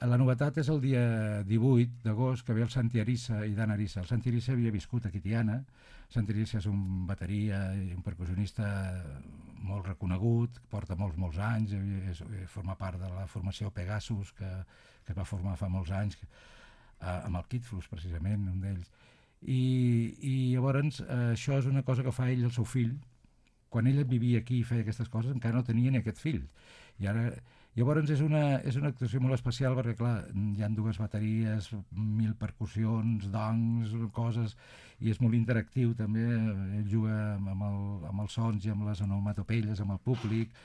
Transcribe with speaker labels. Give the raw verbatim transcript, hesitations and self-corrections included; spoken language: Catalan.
Speaker 1: La novetat és el dia divuit d'agost, que ve el Santi Arissa i Dan Arissa. El Santi Arissa havia viscut a Tiana. Santi Arissa és un bateria i un percussionista molt reconegut, porta molts, molts anys, és, forma part de la formació Pegasus, que, que es va formar fa molts anys, eh, amb el Kid Flux, precisament, un d'ells. I, i llavors eh, això és una cosa que fa ell el seu fill. Quan ella vivia aquí i feia aquestes coses encara no tenia ni aquest fill, i ara llavors és una, és una actuació molt especial perquè clar, hi han dues bateries, mil percussions, dongs, coses, i és molt interactiu també. Ell juga amb, el, amb els sons i amb les onomatopelles amb el públic,